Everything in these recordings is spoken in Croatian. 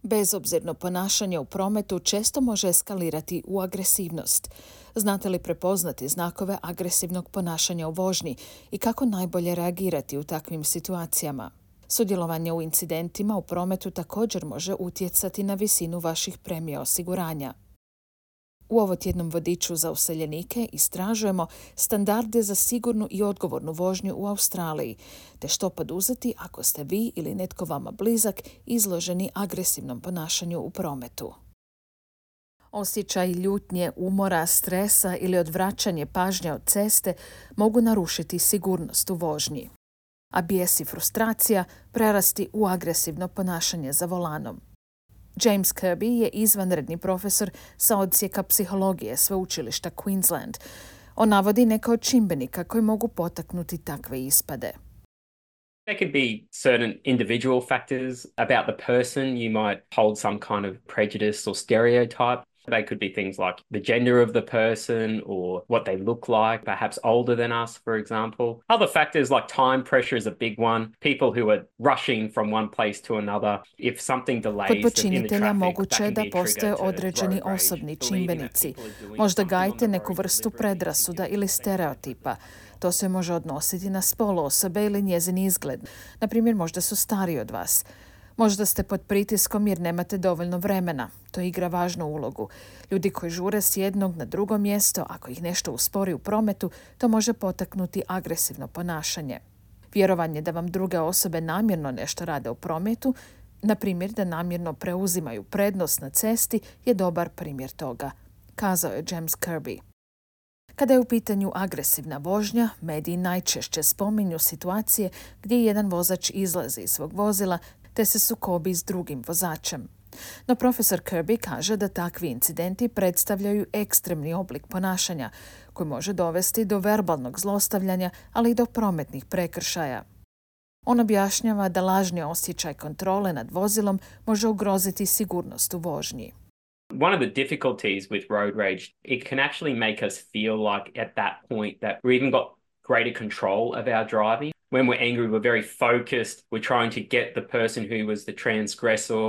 Bezobzirno ponašanje u prometu često može eskalirati u agresivnost. Znate li prepoznati znakove agresivnog ponašanja u vožnji i kako najbolje reagirati u takvim situacijama? Sudjelovanje u incidentima u prometu također može utjecati na visinu vaših premija osiguranja. U ovotjednom vodiču za useljenike istražujemo standarde za sigurnu i odgovornu vožnju u Australiji, te što poduzeti ako ste vi ili netko vama blizak izloženi agresivnom ponašanju u prometu. Osjećaj ljutnje, umora, stresa ili odvraćanje pažnje od ceste mogu narušiti sigurnost u vožnji, a bijes i frustracija prerasti u agresivno ponašanje za volanom. James Kirby je izvanredni profesor sa odsjeka psihologije sveučilišta Queensland. On navodi neke od čimbenika koji mogu potaknuti takve ispade. There could be certain individual factors about the person. You might hold some kind of prejudice or stereotype. They could be things like the gender of the person or what they look like, perhaps older than us, for example. Other factors like time pressure is a big one. People who are rushing from one place to another. If something delays Kod in the počinitelja traffic, moguće je that can da be a postoje trigger to određeni road rage. osobni Believing that čimbenici. people are doing Možda something on gajite the neku road vrstu deliberately predrasuda thinking ili it's stereotipa. To se može odnositi na spol osobe ili njezin izgled. Naprimjer, možda su stariji od vas. Možda ste pod pritiskom jer nemate dovoljno vremena. To igra važnu ulogu. Ljudi koji žure s jednog na drugo mjesto, ako ih nešto uspori u prometu, to može potaknuti agresivno ponašanje. Vjerovanje da vam druge osobe namjerno nešto rade u prometu, na primjer da namjerno preuzimaju prednost na cesti, je dobar primjer toga, kazao je James Kirby. Kada je u pitanju agresivna vožnja, mediji najčešće spominju situacije gdje jedan vozač izlazi iz svog vozila te se sukobi s drugim vozačem. No profesor Kirby kaže da takvi incidenti predstavljaju ekstremni oblik ponašanja koji može dovesti do verbalnog zlostavljanja, ali i do prometnih prekršaja. On objašnjava da lažni osjećaj kontrole nad vozilom može ugroziti sigurnost u vožnji. One of the difficulties with road rage, it can actually make us feel like at that point that we even got greater control of our driving. When we're angry, we're very focused. We're trying to get the person who was the transgressor.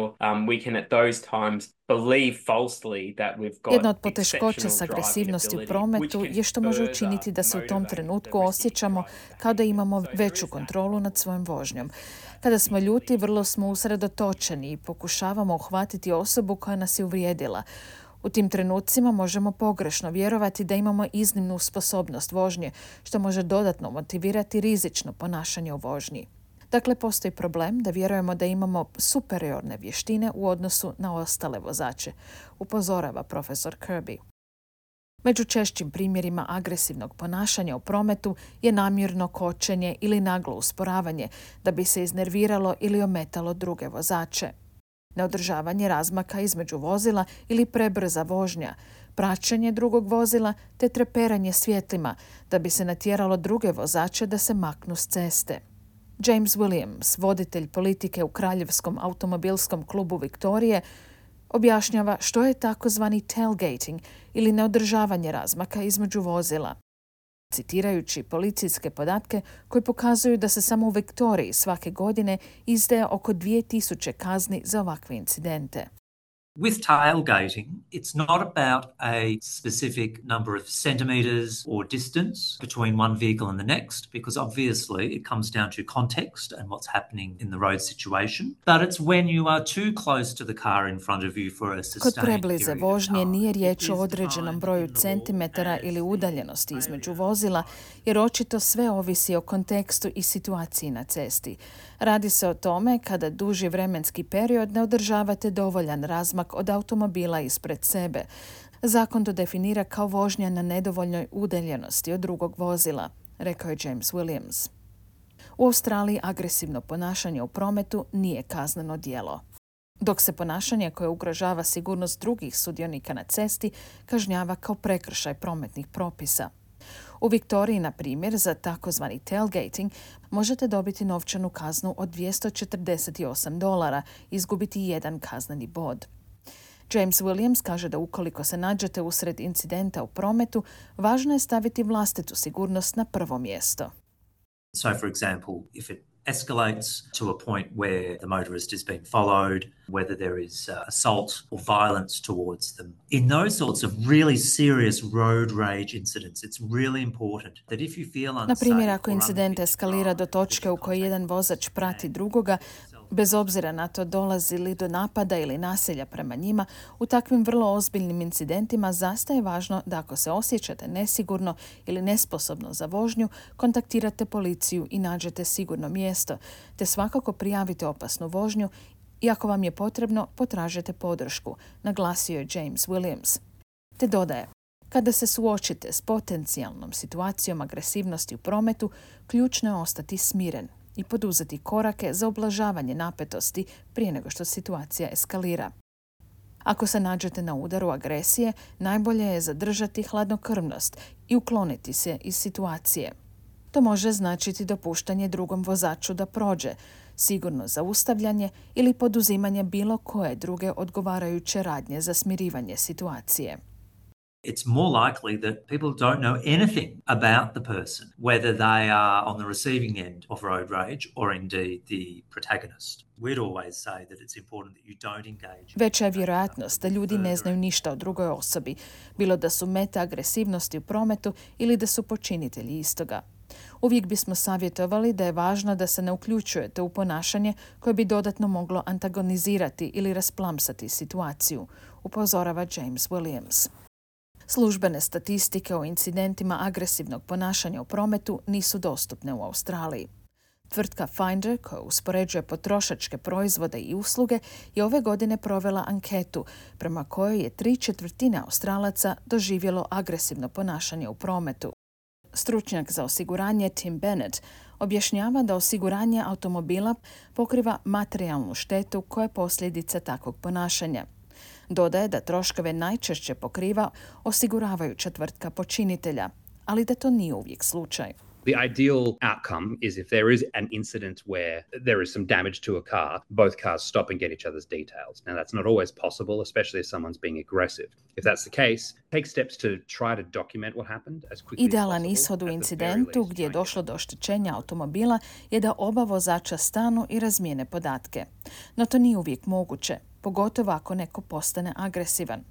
We can at those times believe falsely that we've got Jedna od poteškoća s exceptional agresivnosti u driving ability, prometu which je što može can učiniti da se u tom further trenutku motivate the osjećamo risky kao da imamo driver. veću kontrolu nad svojom vožnjom. Kada smo ljuti, vrlo smo usredotočeni i pokušavamo uhvatiti osobu koja nas je uvrijedila. U tim trenucima možemo pogrešno vjerovati da imamo iznimnu sposobnost vožnje, što može dodatno motivirati rizično ponašanje u vožnji. Dakle, postoji problem da vjerujemo da imamo superiorne vještine u odnosu na ostale vozače, upozorava profesor Kirby. Među češćim primjerima agresivnog ponašanja u prometu je namjerno kočenje ili naglo usporavanje da bi se iznerviralo ili ometalo druge vozače. Neodržavanje razmaka između vozila ili prebrza vožnja, praćenje drugog vozila te treperanje svjetlima da bi se natjeralo druge vozače da se maknu s ceste. James Williams, voditelj politike u Kraljevskom automobilskom klubu Viktorije, objašnjava što je takozvani tailgating ili neodržavanje razmaka između vozila. Citirajući policijske podatke koji pokazuju da se samo u Viktoriji svake godine izdaje oko 2000 kazni za ovakve incidente. With tailgating, it's not about a specific number of centimetres or distance between one vehicle and the next, because obviously it comes down to context and what's happening in the road situation. But it's when you are too close to the car in front of you for a sustained Kod preblize period of vožnje time. nije It riječ is o određenom defined broju in the law centimetara as ili udaljenosti između vozila, jer očito sve ovisi o kontekstu i situaciji na cesti. Radi se o tome kada duži vremenski period ne održavate dovoljan razmak od automobila ispred sebe. Zakon to definira kao vožnja na nedovoljnoj udaljenosti od drugog vozila, rekao je James Williams. U Australiji agresivno ponašanje u prometu nije kazneno djelo, dok se ponašanje koje ugrožava sigurnost drugih sudionika na cesti kažnjava kao prekršaj prometnih propisa. U Viktoriji, na primjer, za takozvani tailgating možete dobiti novčanu kaznu od $248, izgubiti jedan kazneni bod. James Williams kaže da ukoliko se nađete usred incidenta u prometu, važno je staviti vlastitu sigurnost na prvo mjesto. So, for example, if it escalates to a point where the motorist is being followed, whether there is assault or violence towards them. In those sorts of really serious road rage incidents, it's really important that if you feel unsafe... Na primjer, ako incident eskalira do točke u kojoj jedan vozač prati drugoga, bez obzira na to dolazi li do napada ili nasilja prema njima, u takvim vrlo ozbiljnim incidentima zastaje važno da ako se osjećate nesigurno ili nesposobno za vožnju, kontaktirate policiju i nađete sigurno mjesto, te svakako prijavite opasnu vožnju i ako vam je potrebno, potražite podršku, naglasio je James Williams. Te dodaje, kada se suočite s potencijalnom situacijom agresivnosti u prometu, ključno je ostati smiren i poduzeti korake za ublažavanje napetosti prije nego što situacija eskalira. Ako se nađete na udaru agresije, najbolje je zadržati hladnokrvnost i ukloniti se iz situacije. To može značiti dopuštanje drugom vozaču da prođe, sigurno zaustavljanje ili poduzimanje bilo koje druge odgovarajuće radnje za smirivanje situacije. It's more likely that people don't know anything about the person, whether they are on the receiving end of road rage or indeed the protagonist. We'd always say that it's important that you don't engage. Veća je vjerojatnost da ljudi ne znaju ništa o drugoj osobi, bilo da su meta agresivnosti u prometu ili da su počinitelji istoga. Uvijek bismo savjetovali da je važno da se ne uključujete u ponašanje koje bi dodatno moglo antagonizirati ili rasplamsati situaciju, upozorava James Williams. Službene statistike o incidentima agresivnog ponašanja u prometu nisu dostupne u Australiji. Tvrtka Finder, koja uspoređuje potrošačke proizvode i usluge, je ove godine provela anketu prema kojoj je 3/4 Australaca doživjelo agresivno ponašanje u prometu. Stručnjak za osiguranje Tim Bennett objašnjava da osiguranje automobila pokriva materijalnu štetu koja je posljedica takvog ponašanja. Dodaje da troškove najčešće pokriva osiguravajuća tvrtka počinitelja, ali da to nije uvijek slučaj. The ideal outcome is if there is an incident where there is some damage to a car, both cars stop and get each other's details. Now, that's not always possible, especially if someone's being aggressive. If that's the case, take steps to try to document what happened as quickly as possible. Idealan ishod u incidentu gdje je došlo do oštećenja automobila je da oba vozača stanu i razmijene podatke. No to nije uvijek moguće, pogotovo ako neko postane agresivan.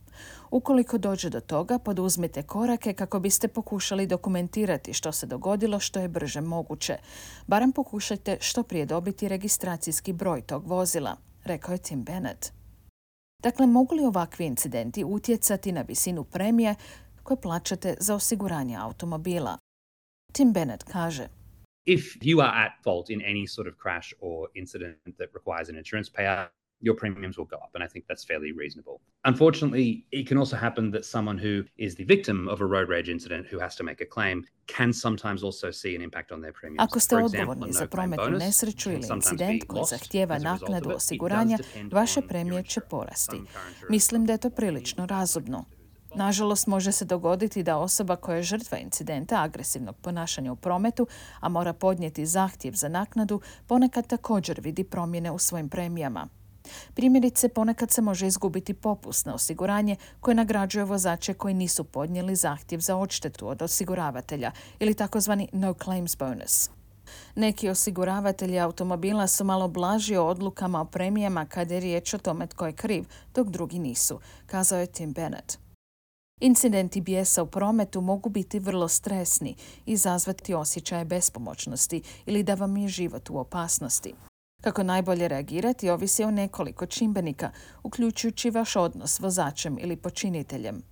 Ukoliko dođe do toga, poduzmite korake kako biste pokušali dokumentirati što se dogodilo što je brže moguće. Barem pokušajte što prije dobiti registracijski broj tog vozila, rekao je Tim Bennett. Dakle, mogu li ovakvi incidenti utjecati na visinu premije koje plaćate za osiguranje automobila? Tim Bennett kaže, If you are at fault in any sort of crash or incident that requires an insurance payout, your premiums will go up, and I think that's fairly reasonable. Unfortunately, it can also happen that someone who is the victim of a road rage incident who has to make a claim can sometimes also see an impact on their premiums. Ako ste odgovorni za prometnu nesreću ili incident koji zahtijeva naknadu osiguranja, vaše premije će porasti. Mislim da je to prilično razumno. Nažalost, može se dogoditi da osoba koja je žrtva incidenta agresivnog ponašanja u prometu, a mora podnijeti zahtjev za naknadu, ponekad također vidi promjene u svojim premijama. Primjerice, ponekad se može izgubiti popust na osiguranje koje nagrađuje vozače koji nisu podnijeli zahtjev za odštetu od osiguravatelja ili takozvani no claims bonus. Neki osiguravatelji automobila su malo blaži o odlukama o premijama kada je riječ o tome tko je kriv, dok drugi nisu, kazao je Tim Bennett. Incidenti bijesa u prometu mogu biti vrlo stresni i izazvati osjećaje bespomoćnosti ili da vam je život u opasnosti. Kako najbolje reagirati ovisi o nekoliko čimbenika, uključujući vaš odnos s vozačem ili počiniteljem.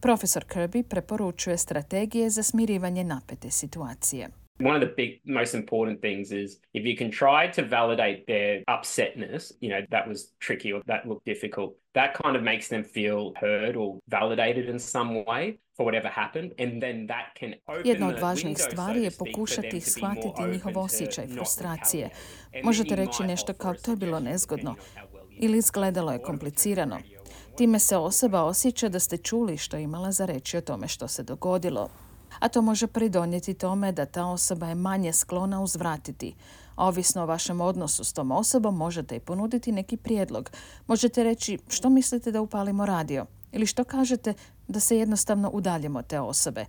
Profesor Kirby preporučuje strategije za smirivanje napete situacije. One of the most important things is if you can try to validate their upsetness, that was tricky or that looked difficult, that kind of makes them feel heard or validated in some way for whatever happened, and then that can open Jedna od važnijih stvari je pokušati shvatiti njihov osjećaj frustracije. Možete reći nešto kao to je bilo nezgodno ili izgledalo je komplicirano. Time se osoba osjeća da ste čuli što je imala za reći o tome što se dogodilo. A to može pridonijeti tome da ta osoba je manje sklona uzvratiti. A ovisno o vašem odnosu s tom osobom možete i ponuditi neki prijedlog. Možete reći što mislite da upalimo radio ili što kažete da se jednostavno udaljimo od te osobe.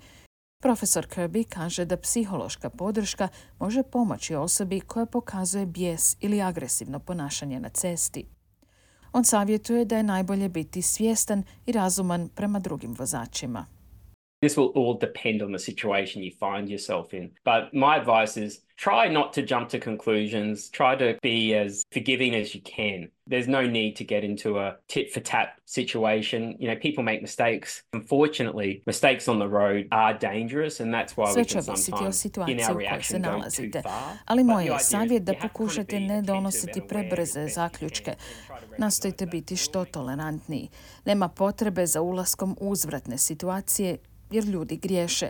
Profesor Kirby kaže da psihološka podrška može pomoći osobi koja pokazuje bijes ili agresivno ponašanje na cesti. On savjetuje da je najbolje biti svjestan i razuman prema drugim vozačima. This will all depend on the situation you find yourself in. But my advice is try not to jump to conclusions. Try to be as forgiving as you can. There's no need to get into a tit for tat situation. People make mistakes. Unfortunately, mistakes on the road are dangerous and that's why we can sometimes in our reaction go too far. Ali moj je savjet da pokušate ne donositi prebrze zaključke. Nastojte biti što tolerantniji. Nema potrebe za ulaskom u uzvratne situacije jer ljudi griješe.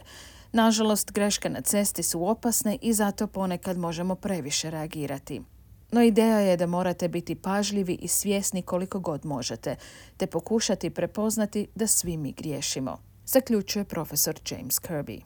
Nažalost, greške na cesti su opasne i zato ponekad možemo previše reagirati. No ideja je da morate biti pažljivi i svjesni koliko god možete, te pokušati prepoznati da svi mi griješimo, zaključuje profesor James Kirby.